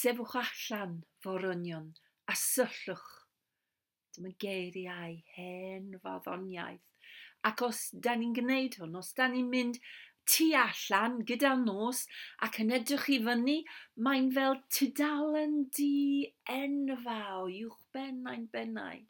Sefwch allan, forynion, a syllwch. Dyma geiriau hen farddoniaeth. Ac os da ni'n gwneud hwn, os da ni'n mynd tu allan gyda'r nos ac yn edrych i fyny, mae'n fel tudalen du enfawr uwchben ein bennau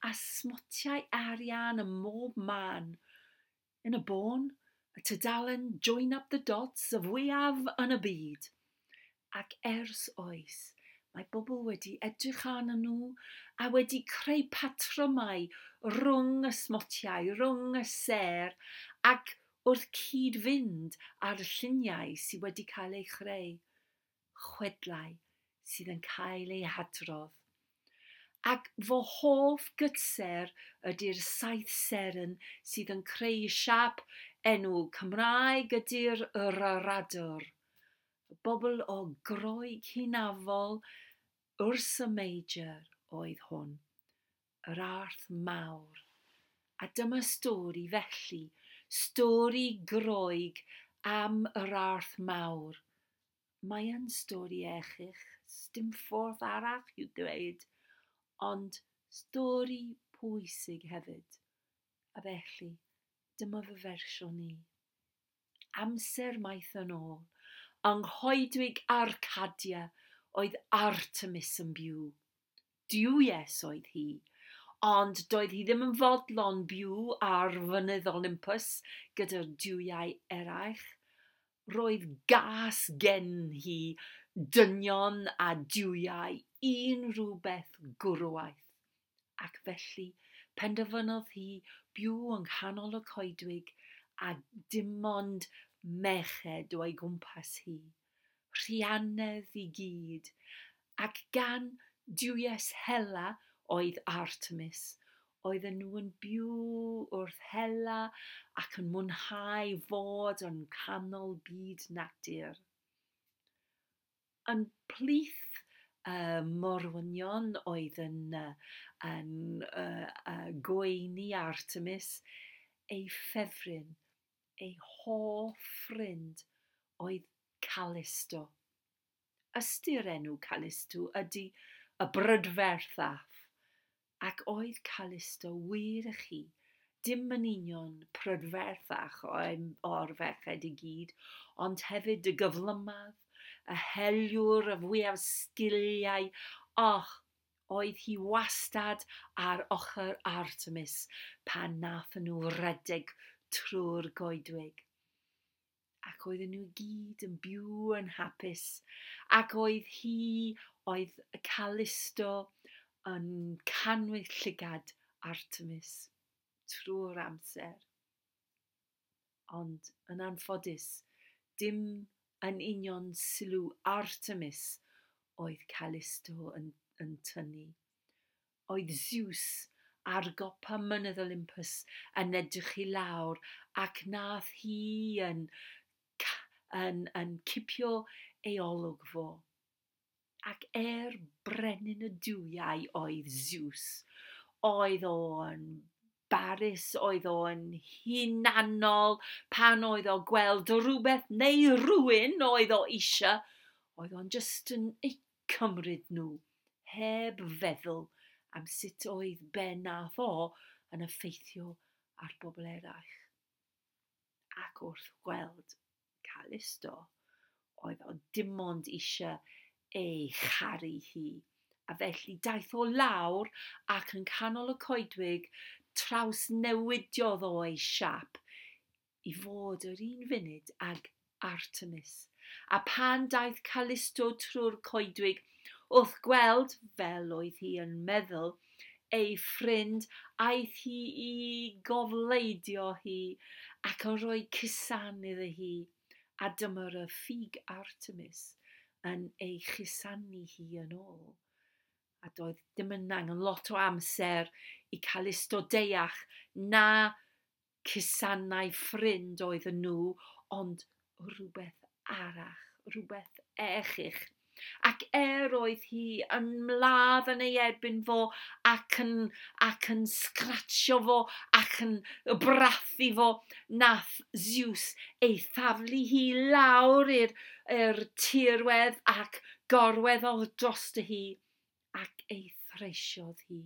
a smotiau arian ym mhob man. Yn y bôn, y tudalen Join Up the Dots y fwyaf yn y byd. Ac ers oes, mae bobl wedi edrych arnyn nhw a wedi creu patrymau rhwng y smotiau, rhwng y sêr, ac wrth cyd-fynd â'r lluniau sydd wedi cael eu chreu, chwedlau sydd yn cael eu hadrodd. Ac fy hoff gytser ydy'r saith seren sydd yn creu siâp enw Cymraeg ydy'r yr aradr. Y bobl o Groeg hynafol Ursa Major oedd hwn, yr arth mawr. A dyma stori felly, stori Groeg am yr arth mawr. Mae yn stori erchyll, dim ffordd arall i'w dweud, ond stori pwysig hefyd. A felly, dyma fy fersiwn i. Amser maith yn ôl, yng nghoedwig Arcadia oedd Artemis yn byw. Duwies oedd hi, ond doedd hi ddim yn fodlon byw ar fynydd Olympus gyda'r duwiau eraill. Roedd gas gen hi dynion a duwiau unrhyw beth gwrywaidd. Ac felly penderfynodd hi byw yng nghanol y coedwig a dim ond merched o'i gwmpas hi. Rhianedd i gyd. Ac gan duwies Hela oedd Artemis, oedden nhw yn byw wrth hela ac yn mwynhau fod yn canol byd natur. Yn plith y morwynion oedd yn gweini Artemis, ei ffefryn, ei hoff ffrind oedd Callisto. Ystyr enw Callisto ydy y brydferthaf, ac oedd Callisto wir i chi, dim yn union prydferthach o'r ferched i gyd, ond hefyd y gyflymaf, y heliwr, y fwyaf sgiliau. Och, oedd hi wastad ar ochr Artemis pan nathon nhw redeg trwy'r goedwig. Ac oedden nhw gyd yn byw yn hapus. Ac oedd hi, oedd Callisto yn cannwyll llygad Artemis trwy'r amser. Ond yn anffodus, dim yn union sylw Artemis oedd Callisto yn tynnu. Oedd Zeus ar gopa mynydd Olympus yn edrych i lawr ac nath hi yn cipio ei olwg fo. Ac brenin y duwiau oedd Zeus, oedd o'n barus, oedd o'n hunanol, pan oedd o gweld rhywbeth neu rhywun oedd o eisiau, oedd o'n just yn eu cymryd nhw, heb feddwl am sut oedd be nath o yn effeithio ar bobl eraill. Ac wrth gweld Callisto, oedd o dim ond eisiau ei charu hi. A felly daeth o lawr ac yn canol y coedwig trawsnewidiodd o ei siâp i fod yr un funud ag Artemis. A pan daeth Callisto trwy'r coedwig, wrth gweld, fel oedd hi yn meddwl, ei ffrind, aeth hi i gofleidio hi ac yn rhoi cusan iddi hi. A dyma'r y ffug Artemis yn ei chusanu hi yn ôl. A doedd dim yn angen lot o amser i Callisto deall na cusanau ffrind oedden nhw, ond rhywbeth arall, rhywbeth erchyll. Ac oedd hi yn mladd yn ei erbyn fo ac yn sgratsio fo ac yn brathu fo, nath Zeus ei thaflu hi lawr i'r tirwedd ac Gorweddodd drosto hi ac ei threisiodd hi.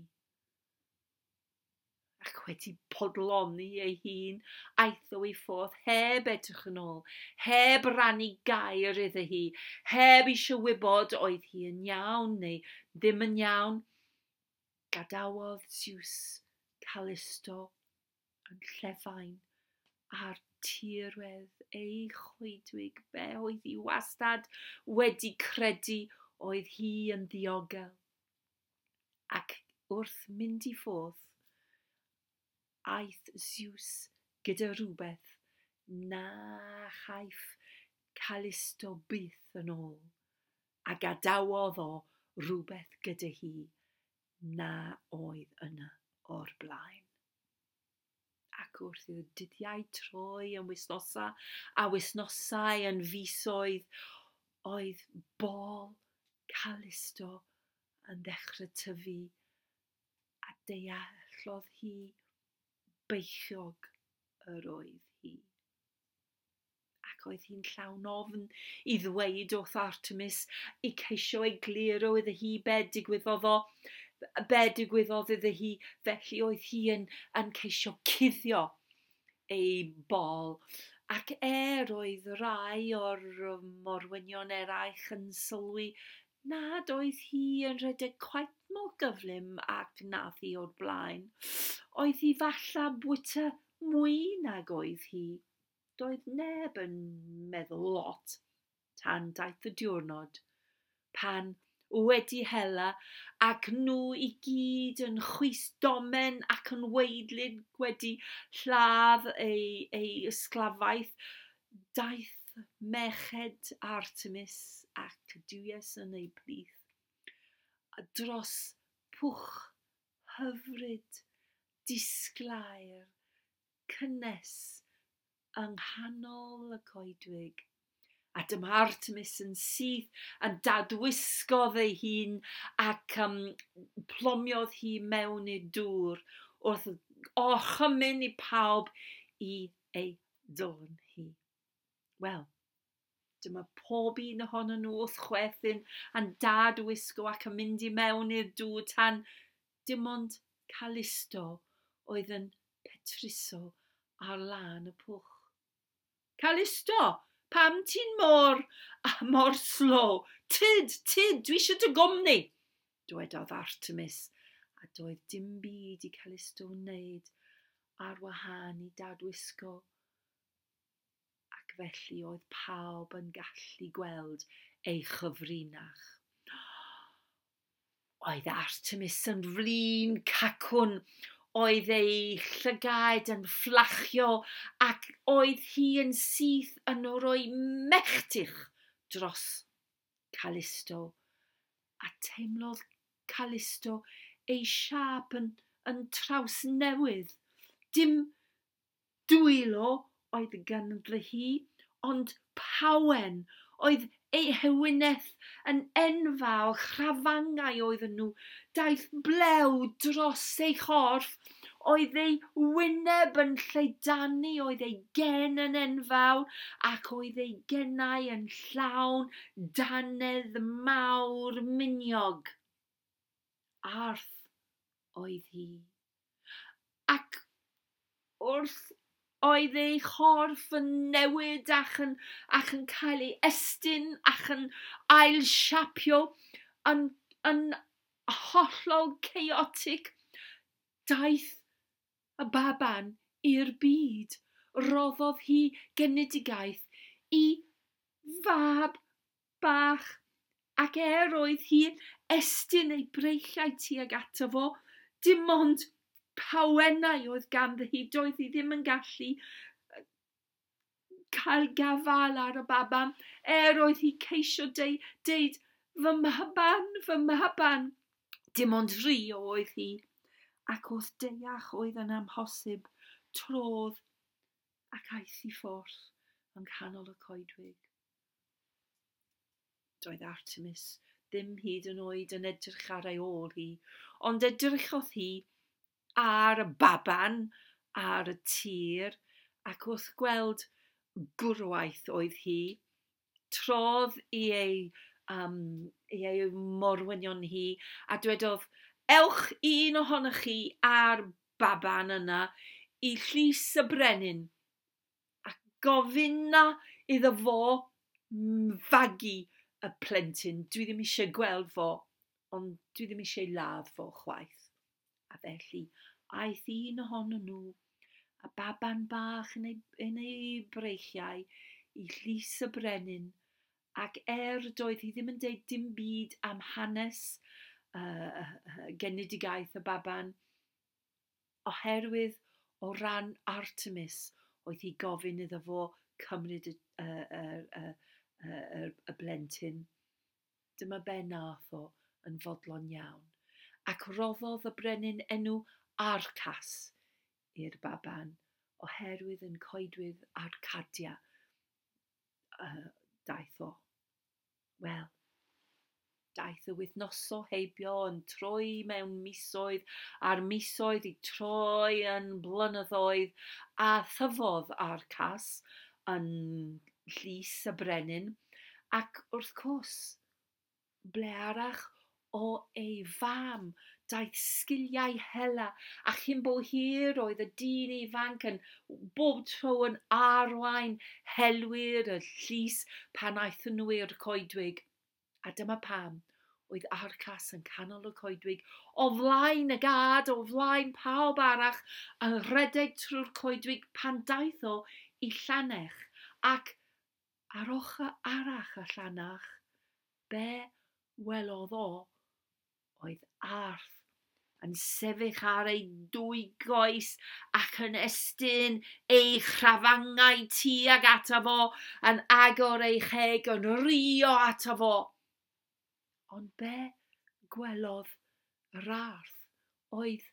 Ac wedi podloni ei hun, aeth o i ffwrdd heb edrych yn ôl, heb rannu gair iddi hi, heb eisiau wybod oedd hi yn iawn neu ddim yn iawn. Gadawodd Zeus Calisto yn llefain ar tirwedd ei choedwig be oedd hi wastad wedi credu oedd hi yn ddiogel. Ac wrth mynd i ffwrdd, aeth Zeus gyda rhywbeth na chaiff Calisto byth yn ôl, a gadawodd o rhywbeth gyda hi na oedd yna o'r blaen. Ac wrth i'r dyddiau troi yn wythnosau a wythnosau yn fisoedd, oedd bol Calisto yn ddechrau tyfu a deallodd hi beichiog yr oedd hi. Ac oedd hi'n llawn ofn i ddweud wrth Artemis i ceisio egluro iddi hi be digwyddodd o, be digwyddodd iddi hi, felly oedd hi yn ceisio cuddio ei bol. Ac oedd rai o'r morwynion eraill yn sylwi nad oedd hi yn rhedeg cweit mor gyflym ac nath hi o'r blaen. Oedd hi falla bwyta mwy nag oedd hi. Doedd neb yn meddwl lot tan daeth y diwrnod pan wedi hela ac nhw i gyd yn chwys domen ac yn weidlyd wedi lladd ei ysglafaeth, daeth merched Artemis ac duwies yn ei plith dros pwch hyfryd, disglair, cynnes yng nghanol y coedwig. A dyma Artemis yn syth yn dadwisgodd ei hun ac plomiodd hi mewn i'r dŵr wrth orchymyn i pawb i ei dilyn hi. Wel, dyma pob un ohonyn nhw wrth chwerthin yn dadwisgo ac yn mynd i mewn i'r dŵr tan dim ond Calisto oedd yn petruso ar lan y pwch. Calisto, pam ti'n mor slow? Tyd, tyd, dwi eisiau dy gwmni, dwedodd Artemis, a doedd dim byd i Calisto wneud ar wahân i dadwisgo. Ac felly oedd pawb yn gallu gweld ei chyfrinach. Oedd Artemis yn flin cacwn, oedd ei llygaid yn fflachio ac oedd hi yn syth yn rhoi melltith dros Calisto. A teimlodd Calisto ei siâp yn trawsnewydd. Dim dwylo oedd ganddi hi, ond pawen oedd ei hewyneth yn enfawr, chrafangau oedden nhw. Daeth blew dros ei chorff, oedd ei wyneb yn lleidanu, oedd ei gen yn enfawr, ac oedd ei gennau yn llawn dannedd mawr miniog. Arth oedd hi. Ac wrth oedd ei chorff yn newid ac yn cael ei estyn ac yn ailsiapio yn hollol chaotic, daeth y baban i'r byd. Roddodd hi genedigaeth i fab bach, ac oedd hi estyn ei breichiau tuag ato fo, dim ond pawennau oedd ganddi hi, doedd hi ddim yn gallu cael gafael ar y baban, oedd hi ceisio deud, fy mhaban, fy mhaban. Dim ond rhi oedd hi, ac wrth deall oedd yn amhosib, trodd ac aeth i ffwrdd yng nghanol y coedwig. Doedd Artemis ddim hyd yn oed yn edrych ar ei ôl hi, ond edrychodd hi ar y baban, ar y tir, ac wrth gweld gwrwaith oedd hi, trodd i ei ei morwynion hi, a dwedodd, ewch un ohonoch chi a'r baban yna i llys y brenin, a gofynna iddo fo fagu y plentyn. Dwi ddim eisiau gweld fo, ond dwi ddim eisiau ladd fo chwaith. A felly, aeth un ohonyn nhw, a baban bach yn ei breichiau, i llys y brenin, ac doedd hi ddim yn deud dim byd am hanes genedigaeth y baban, oherwydd o ran Artemis oedd hi gofyn iddo fo cymryd y blentyn. Dyma be nath o yn fodlon iawn. Ac roddodd y brenin enw Arcas i'r baban, oherwydd yn coedwig Arcadia daeth o. Wel, daeth y wythnosau heibio yn troi mewn misoedd, a'r misoedd i troi yn blynyddoedd, a thyfodd Arcas yn llys y brenin, ac wrth gwrs, ble arall o ei fam daeth sgiliau hela, a chyn bo hir oedd y dyn ifanc yn bob tro yn arwain helwyr y llys pan aethon nhw i'r coedwig. A dyma pam oedd Arcas yn canol y coedwig, o flaen y gad, o flaen pawb arall, yn rhedeg trwy'r coedwig pan daeth o i llanech. Ac ar ochr arall y llanach, be welodd o oedd arth yn sefyll ar ei dwy goes ac yn estyn ei chrafangau tuag ato fo, yn agor ei cheg, yn rio ato fo. Ond be gwelodd yr arth oedd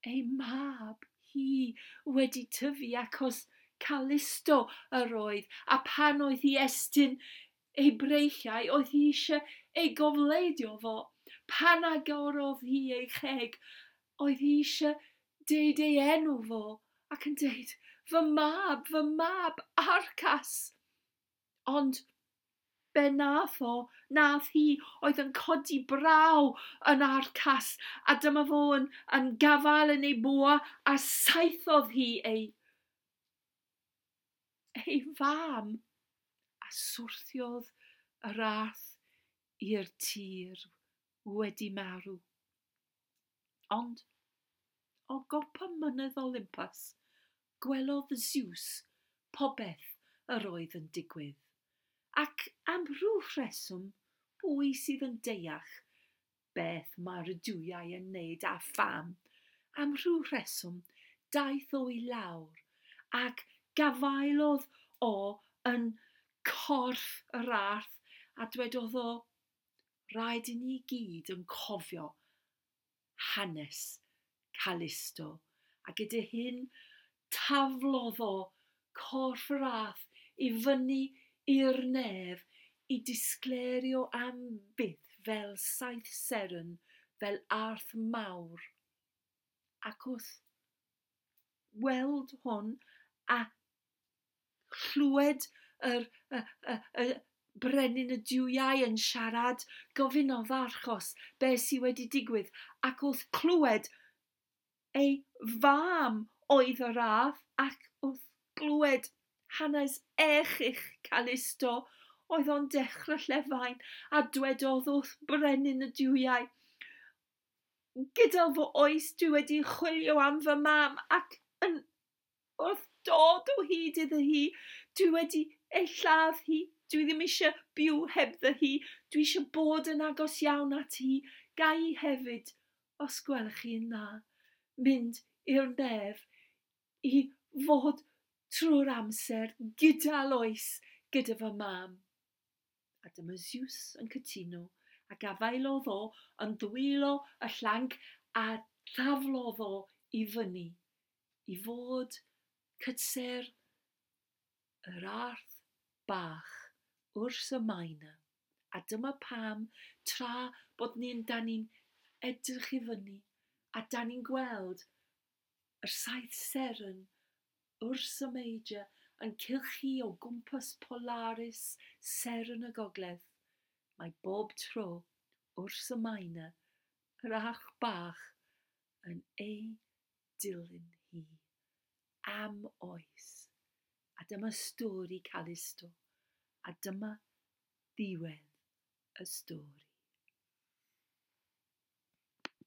ei mab hi wedi tyfu achos Calisto yr oedd, a pan oedd hi estyn ei breichiau, oedd hi eisiau ei gofleidio fo. Pan agorodd hi ei cheg, oedd hi eisiau deud ei enw fo, ac yn deud, fy mab, Arcas. Ond be nath o, nath hi, oedd yn codi braw yn Arcas, a dyma fo yn gafael yn ei bwa, a saethodd hi ei fam, a swrthiodd yr arth i'r tir wedi marw. Ond o gopa mynydd Olympus, gwelodd Zeus popeth yr oedd yn digwydd. Ac am rhyw rheswm, pwy sydd yn deall beth mae'r duwiau yn wneud a pham, am rhyw rheswm daeth o i lawr ac gafaelodd o yn corff yr arth a dwedodd o, rhaid i ni gyd yn cofio hanes Calisto. A gyda hyn taflodd o corff yr arth i fyny i'r nef i disgleirio am byth fel saith seren, fel arth mawr. Ac wrth weld hwn a chlywed yr brenin y duwiau yn siarad, gofynnodd Arcos be sydd wedi digwydd, ac wrth clywed ei fam oedd yr arth, ac wrth glywed hanes erchyll Calisto, oedd o'n dechrau llefain, a dwedodd wrth brenin y duwiau, gyda fy oes dwi wedi chwilio am fy mam, ac yn wrth dod o hyd iddi hi, dwi wedi ei lladd hi, dwi ddim eisiau byw hebddo hi, dwi eisiau bod yn agos iawn at hi, ga i hefyd, os gwelwch chi'n dda, mynd i'r nef i fod trwy'r amser gyda loes gyda fy mam. A dyma Zeus yn cytuno, a gafaelodd o yn ddwylo y llanc a thaflodd o i fyny, i fod cytser yr arth bach Ursa Minor. A dyma pam, tra bod ni'n da ni'n edrych i fyny, a da ni'n gweld yr saith seren Ursa Major yn cylchu o gwmpas Polaris, seren y gogledd. Mae bob tro Ursa Minor, yr arch bach, yn ei dilyn hi am oes. A dyma stori Calisto, a dyma ddiwedd y stori.